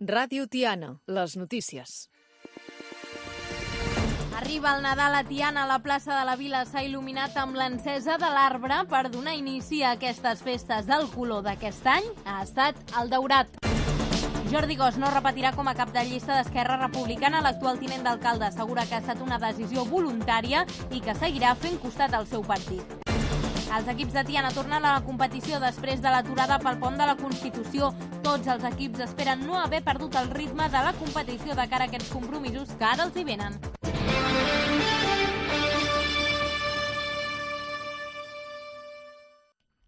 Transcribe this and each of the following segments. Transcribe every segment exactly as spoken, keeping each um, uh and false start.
Ràdio Tiana, les notícies. Arriba el Nadal a Tiana. La plaça de la Vila s'ha il·luminat amb l'encesa de l'arbre per donar inici a aquestes festes. El color d'aquest any ha estat el daurat. Jordi Gos no repetirà com a cap de llista d'Esquerra Republicana. L'actual tinent d'alcalde assegura que ha estat una decisió voluntària i que seguirà fent costat al seu partit. Els equips de Tiana tornen a la competició després de l'aturada pel pont de la Constitució. Tots els equips esperen no haver perdut el ritme de la competició de cara a aquests compromisos que ara els hi venen.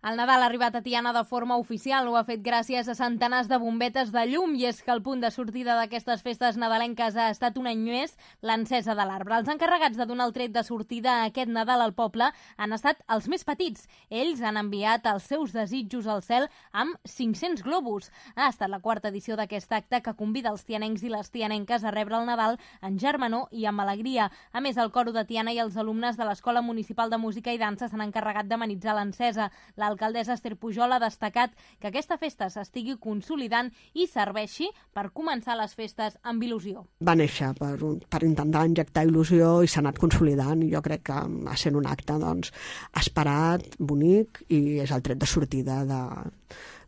El Nadal ha arribat a Tiana de forma oficial. Ho ha fet gràcies a centenars de bombetes de llum, i és que el punt de sortida d'aquestes festes nadalenques ha estat un any més l'encesa de l'arbre. Els encarregats de donar el tret de sortida a aquest Nadal al poble han estat els més petits. Ells han enviat els seus desitjos al cel amb cinc-cents globus. Ha estat la quarta edició d'aquest acte que convida els tianencs i les tianenques a rebre el Nadal en germanor i amb alegria. A més, el coro de Tiana i els alumnes de l'Escola Municipal de Música i Dansa s'han encarregat d'amenitzar l'encesa. L'alcaldessa Esther Pujol ha destacat que aquesta festa s'estigui consolidant i serveixi per començar les festes amb il·lusió. Va néixer per, per intentar injectar il·lusió i s'ha anat consolidant, i jo crec que ha sent un acte doncs, esperat, bonic, i és el tret de sortida de,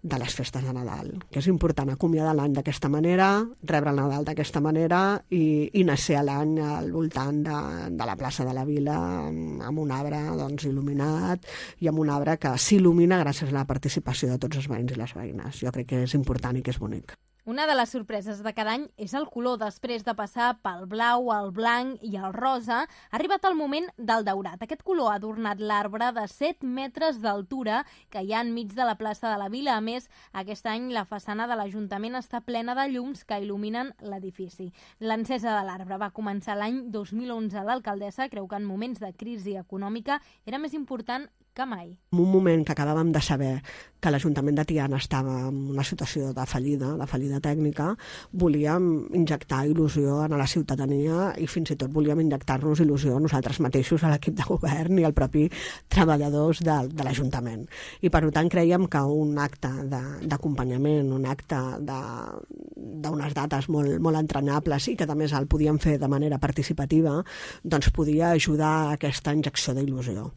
de les festes de Nadal, que és important acomiadar l'any d'aquesta manera, rebre el Nadal d'aquesta manera i, i nacer l'any al voltant de, de la plaça de la Vila amb, amb un arbre doncs, il·luminat, i amb un arbre que s'il·lumina gràcies a la participació de tots els veïns i les veïnes. Jo crec que és important i que és bonic. Una de les sorpreses de cada any és el color. Després de passar pel blau, el blanc i el rosa, ha arribat el moment del daurat. Aquest color ha adornat l'arbre de set metres d'altura que hi ha enmig de la plaça de la Vila. A més, aquest any la façana de l'Ajuntament està plena de llums que il·luminen l'edifici. L'encesa de l'arbre va començar l'any dos mil onze. L'alcaldessa creu que en moments de crisi econòmica era més important que mai. En un moment que acabàvem de saber que l'Ajuntament de Tiana estava en una situació de fallida, de fallida tècnica, volíem injectar il·lusió a la ciutadania i fins i tot volíem injectar-nos il·lusió a nosaltres mateixos, a l'equip de govern i al propi treballadors de, de l'Ajuntament. I per tant creiem que un acte d'acompanyament, un acte d'unes dates molt, molt entranyables i que a més el podíem fer de manera participativa, doncs podia ajudar a aquesta injecció d'il·lusió.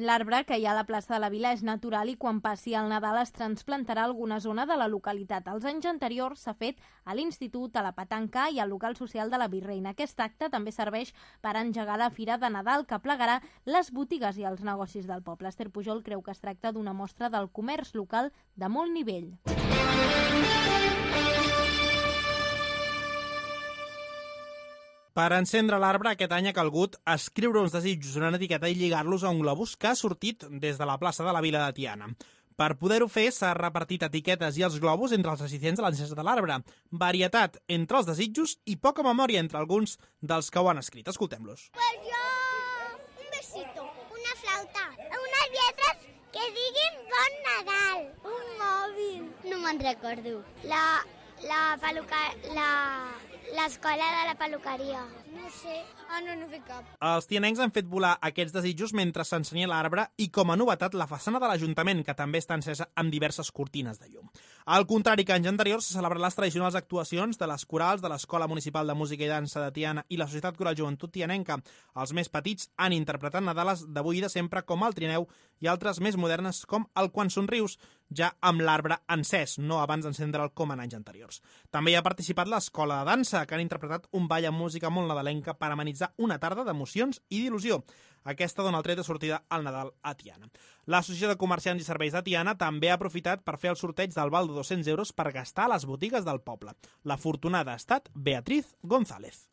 L'arbre que hi ha a la plaça de la Vila és natural i quan passi el Nadal es transplantarà a alguna zona de la localitat. Els anys anteriors s'ha fet a l'Institut, a la Petanca i al local social de la Virreina. Aquest acte també serveix per engegar la Fira de Nadal, que plegarà les botigues i els negocis del poble. Esther Pujol creu que es tracta d'una mostra del comerç local de molt nivell. Per encendre l'arbre, aquest any ha calgut escriure uns desitjos en una etiqueta i lligar-los a un globus que ha sortit des de la plaça de la Vila de Tiana. Per poder-ho fer, s'ha repartit etiquetes i els globus entre els assistents a l'encesa de l'arbre. Varietat entre els desitjos i poca memòria entre alguns dels que ho han escrit. Escoltem-los. Pues yo, un besito, una flauta, unes lletres que diguin Bon Nadal, un mòbil. No me'n recordo. La, la peluca, la... l'escola de la peluqueria. No sé. Ah, no, no fer cap. Els tianencs han fet volar aquests desitjos mentre s'ensenya l'arbre i, com a novetat, la façana de l'Ajuntament, que també està encesa amb diverses cortines de llum. Al contrari que anys anteriors, se celebren les tradicionals actuacions de les corals de l'Escola Municipal de Música i Dansa de Tiana i la Societat Coral Joventut Tianenca. Els més petits han interpretat Nadales d'avui i de sempre, com el Trineu, i altres més modernes, com el Quan somrius, ja amb l'arbre encès, no abans d'encendre'l com en anys anteriors. També hi ha participat l'Escola de Dansa, que han interpretat un ball amb música molt nadalenca per amenitzar una tarda d'emocions i d'il·lusió. Aquesta dona el tret de sortida al Nadal a Tiana. L'Associació de Comerciants i Serveis de Tiana també ha aprofitat per fer el sorteig del val de dos-cents euros per gastar a les botigues del poble. L'afortunada ha estat Beatriz González.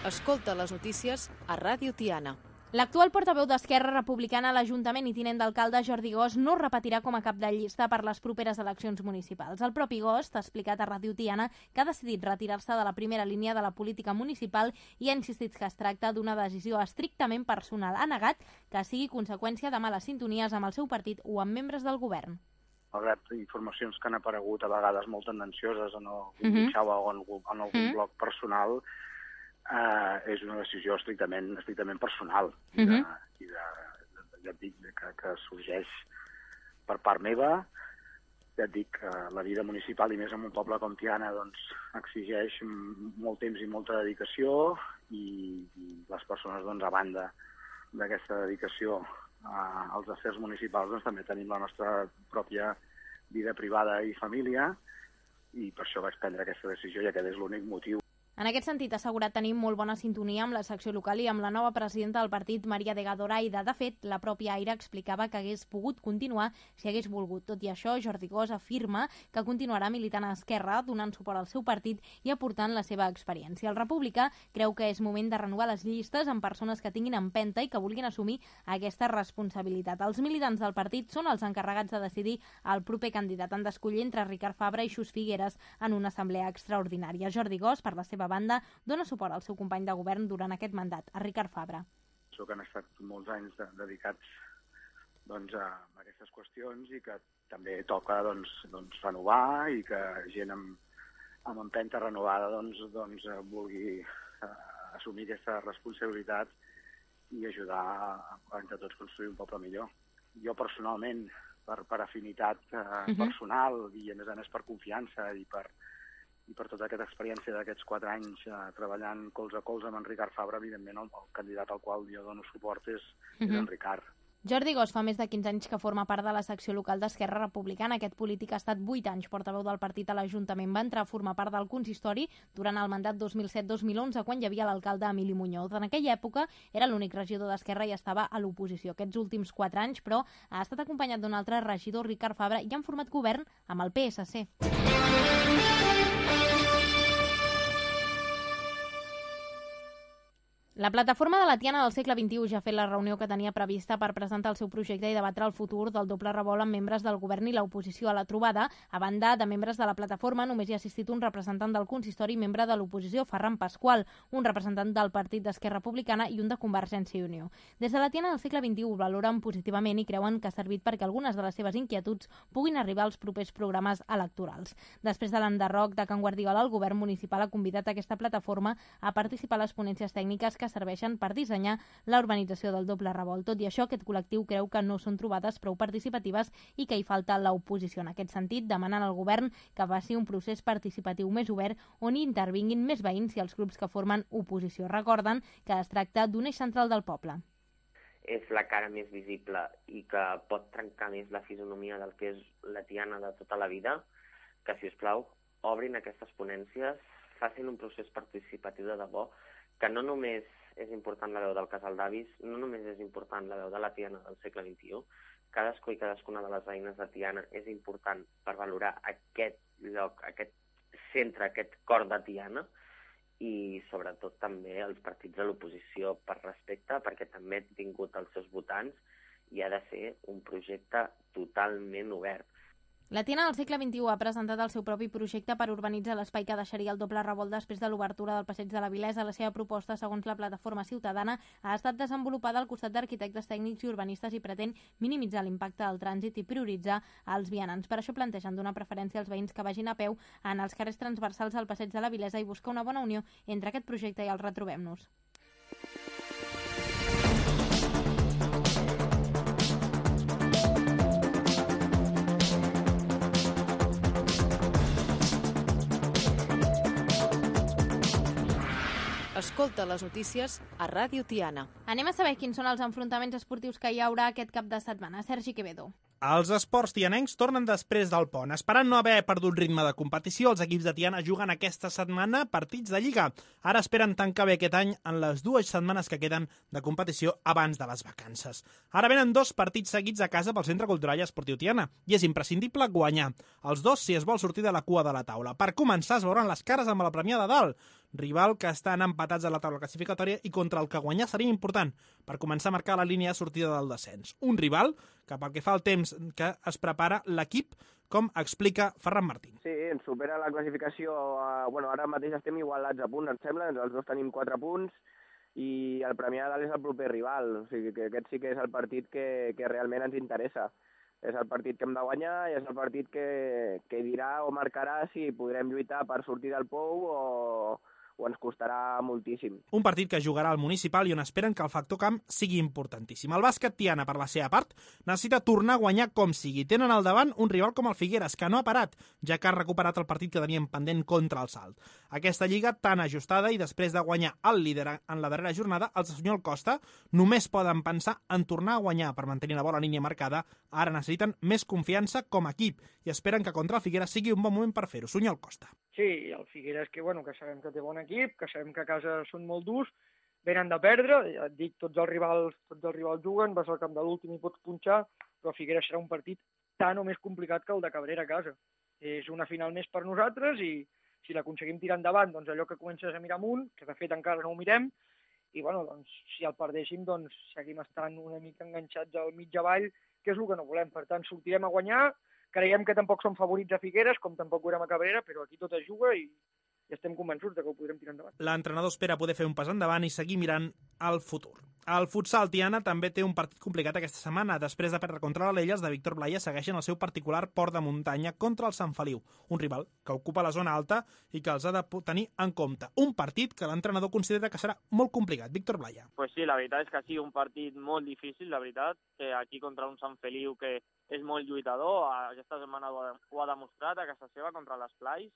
Escolta les notícies a Ràdio Tiana. L'actual portaveu d'Esquerra Republicana a l'Ajuntament i tinent d'alcalde Jordi Gos no repetirà com a cap de llista per les properes eleccions municipals. El propi Gos ha explicat a Ràdio Tiana que ha decidit retirar-se de la primera línia de la política municipal i ha insistit que es tracta d'una decisió estrictament personal. Ha negat que sigui conseqüència de males sintonies amb el seu partit o amb membres del govern. malgrat informacions que han aparegut a vegades molt tendencioses en algun mitjà o en, en algun blog personal, eh, és una decisió estrictament, estrictament personal i, de, i de, ja et dic, que, que sorgeix per part meva. Ja et dic que la vida municipal, i més en un poble com Tiana, doncs, exigeix molt temps i molta dedicació i, i les persones, doncs, a banda d'aquesta dedicació a, als afers municipals, doncs, també tenim la nostra pròpia vida privada i família i per això vaig prendre aquesta decisió i aquest és l'únic motiu. En aquest sentit, ha assegurat tenir molt bona sintonia amb la secció local i amb la nova presidenta del partit, Maria de Gadoraida. De fet, la pròpia Aire explicava que hagués pogut continuar si hagués volgut. Tot i això, Jordi Gós afirma que continuarà militant a Esquerra, donant suport al seu partit i aportant la seva experiència. El República creu que és moment de renovar les llistes amb persones que tinguin empenta i que vulguin assumir aquesta responsabilitat. Els militants del partit són els encarregats de decidir el proper candidat. Han d'escollir entre Ricard Fabra i Xus Figueres en una assemblea extraordinària. Jordi Gós, per la seva banda, dona suport al seu company de govern durant aquest mandat, a Ricard Fabra. Penso que han estat molts anys de, dedicats doncs, a aquestes qüestions i que també toca doncs, doncs, renovar i que gent amb, amb empenta renovada doncs, doncs, vulgui eh, assumir aquesta responsabilitat i ajudar a, a entre tots construir un poble millor. Jo personalment, per, per afinitat eh, uh-huh. personal i a més a més per confiança i per i per tota aquesta experiència d'aquests quatre anys eh, treballant colze a colze amb en Ricard Fabra, evidentment el, el candidat al qual jo dono suport és, uh-huh. és en Ricard. Jordi Gós fa més de quinze anys que forma part de la secció local d'Esquerra Republicana. Aquest polític ha estat vuit anys portaveu del partit a l'Ajuntament. Va entrar a formar part del consistori durant el mandat dos mil set dos mil onze, quan hi havia l'alcalde Emili Muñoz. En aquella època era l'únic regidor d'Esquerra i estava a l'oposició. Aquests últims quatre anys, però, ha estat acompanyat d'un altre regidor, Ricard Fabra, i han format govern amb el P S C. La plataforma de la Tiana del segle vint-i-u ja ha fet la reunió que tenia prevista per presentar el seu projecte i debatre el futur del doble revolt amb membres del govern i l'oposició a la trobada. A banda de membres de la plataforma, només hi ha assistit un representant del consistori i membre de l'oposició, Ferran Pasqual, un representant del Partit d'Esquerra Republicana i un de Convergència i Unió. Des de la Tiana del segle vint-i-u valoren positivament i creuen que ha servit perquè algunes de les seves inquietuds puguin arribar als propers programes electorals. Després de l'enderroc de Can Guardiola, el govern municipal ha convidat aquesta plataforma a participar a les ponències tècniques que que serveixen per dissenyar la urbanització del doble revolt. Tot i això, aquest col·lectiu creu que no són trobades prou participatives i que hi falta l'oposició. En aquest sentit, demanen al govern que faci un procés participatiu més obert on hi intervinguin més veïns i els grups que formen oposició. Recorden que es tracta d'un eix central del poble. És la cara més visible i que pot trencar més la fisonomia del que és la Tiana de tota la vida, que, si us plau, obrin aquestes ponències, facin un procés participatiu de debò, que no només és important la veu del casal d'avis, no només és important la veu de la Tiana del segle vint-i-u, cadascú i cadascuna de les veïnes de Tiana és important per valorar aquest lloc, aquest centre, aquest cor de Tiana, i sobretot també els partits de l'oposició per respecte, perquè també han tingut els seus votants i ha de ser un projecte totalment obert. La Tiana del segle vint-i-u ha presentat el seu propi projecte per urbanitzar l'espai que deixaria el doble revolt després de l'obertura del Passeig de la Vilesa. La seva proposta, segons la plataforma ciutadana, ha estat desenvolupada al costat d'arquitectes tècnics i urbanistes i pretén minimitzar l'impacte del trànsit i prioritzar els vianants. Per això plantegen donar preferència als veïns que vagin a peu en els carrers transversals al Passeig de la Vilesa i buscar una bona unió entre aquest projecte i el Retrobem-nos. Escolta les notícies a Ràdio Tiana. Anem a saber quins són els enfrontaments esportius que hi haurà aquest cap de setmana. Sergi Quevedo. Els esports tianencs tornen després del pont. Esperant no haver perdut ritme de competició, els equips de Tiana juguen aquesta setmana partits de Lliga. Ara esperen tancar bé aquest any en les dues setmanes que queden de competició abans de les vacances. Ara venen dos partits seguits a casa pel Centre Cultural i Esportiu Tiana i és imprescindible guanyar. Els dos si es vol sortir de la cua de la taula. Per començar es veuran les cares amb la Premià de Dalt, rival que estan empatats a la taula classificatòria i contra el que guanyar seria important per començar a marcar la línia de sortida del descens. Un rival que, pel que fa al temps que es prepara l'equip, com explica Ferran Martín. Sí, ens supera la classificació. Eh, bueno, ara mateix estem igualats a punts, em sembla, els dos tenim quatre punts i el Premià de Dalt és el proper rival, o sigui que aquest sí que és el partit que, que realment ens interessa. és el partit que hem de guanyar i és el partit que, que dirà o marcarà si podrem lluitar per sortir del pou o, o ens costarà moltíssim. Un partit que jugarà al Municipal i on esperen que el factor camp sigui importantíssim. El bàsquet Tiana, per la seva part, necessita tornar a guanyar com sigui. Tenen al davant un rival com el Figueres, que no ha parat, ja que ha recuperat el partit que tenien pendent contra el Salt. Aquesta lliga tan ajustada i després de guanyar el líder en la darrera jornada, els de Sunyol Costa només poden pensar en tornar a guanyar per mantenir la bona línia marcada. Ara necessiten més confiança com a equip i esperen que contra el Figueres sigui un bon moment per fer-ho. Sunyol Costa. Sí, el Figueres que, bueno, que sabem que té bon equip, que sabem que a casa són molt durs, venen de perdre, ja et dic, tots els rivals, tots els rivals juguen, vas al camp de l'últim i pots punxar, però el Figueres serà un partit tan o més complicat que el de Cabrera a casa. És una final més per nosaltres i si l'aconseguim tirar endavant, doncs allò que comences a mirar amunt, que de fet encara no ho mirem, i bueno, doncs si el perdéssim, doncs seguim estant una mica enganxats al mig avall, que és el que no volem. Per tant, sortirem a guanyar, creiem que tampoc som favorits a Figueres, com tampoc ho érem a Cabrera, però aquí tot es juga i i estem convençuts de que ho podrem tirar endavant. L'entrenador espera poder fer un pas endavant i seguir mirant al futur. El futsal Tiana també té un partit complicat aquesta setmana. Després de perdre contra l'Alella, els de Víctor Blaya segueixen el seu particular port de muntanya contra el Sant Feliu, un rival que ocupa la zona alta i que els ha de tenir en compte. Un partit que l'entrenador considera que serà molt complicat. Víctor Blaya. Pues sí, la veritat és que ha sigut un partit molt difícil, la veritat, que aquí contra un Sant Feliu que és molt lluitador, aquesta setmana ho ha, ho ha demostrat a casa seva contra l'Esplais,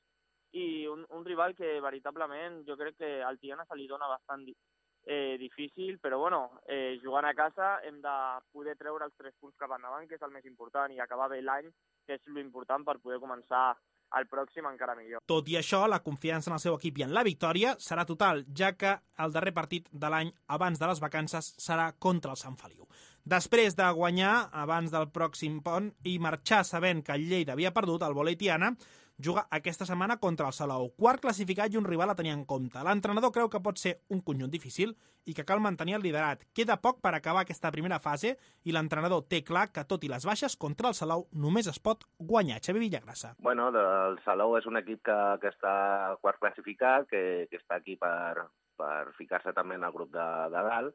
i un, un rival que veritablement jo crec que al Tiana se li dona bastant eh, difícil, però bueno, eh, jugant a casa hem de poder treure els tres punts cap endavant, que és el més important, i acabar bé l'any, que és l'important per poder començar el pròxim encara millor. Tot i això, la confiança en el seu equip i en la victòria serà total, ja que el darrer partit de l'any abans de les vacances serà contra el Sant Feliu. Després de guanyar abans del pròxim pont i marxar sabent que el Lleida havia perdut, el vòlei Tiana juga aquesta setmana contra el Salou, quart classificat i un rival a tenir en compte. L'entrenador creu que pot ser un conjunt difícil i que cal mantenir el liderat. Queda poc per acabar aquesta primera fase i l'entrenador té clar que, tot i les baixes, contra el Salou només es pot guanyar. Xavi Villagrassa. Bueno, el Salou és un equip que, que està quart classificat, que, que està aquí per, per ficar-se també en el grup de, de dalt,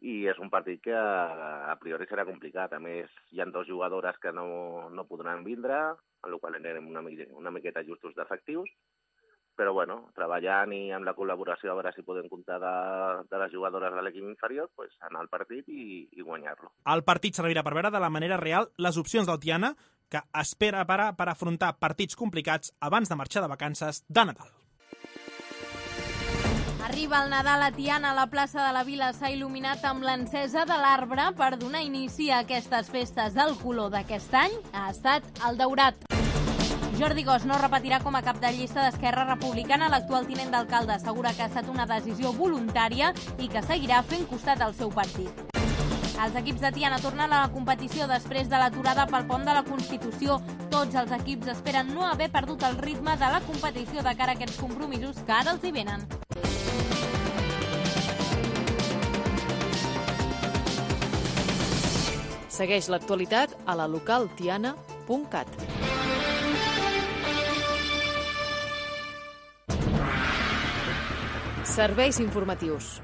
i és un partit que a priori serà complicat. A més, hi ha dues jugadores que no, no podran vindre, en la qual anem una, una miqueta justos d'efectius, però bueno, treballant i amb la col·laboració a veure si podem comptar de, de les jugadores de l'equip inferior, pues, anar al partit i, i guanyar-lo. El partit servirà per veure de la manera real les opcions del Tiana, que espera parar per afrontar partits complicats abans de marxar de vacances de Nadal. Arriba el Nadal a Tiana. La plaça de la Vila s'ha il·luminat amb l'encesa de l'arbre per donar inici a aquestes festes. El color d'aquest any ha estat el daurat. Jordi Gos no repetirà com a cap de llista d'Esquerra Republicana. L'actual tinent d'alcalde assegura que ha estat una decisió voluntària i que seguirà fent costat al seu partit. Els equips de Tiana tornen a la competició després de l'aturada pel pont de la Constitució. Tots els equips esperen no haver perdut el ritme de la competició de cara a aquests compromisos que ara els hi venen. Segueix l'actualitat a la local tiana punt cat. Serveis informatius.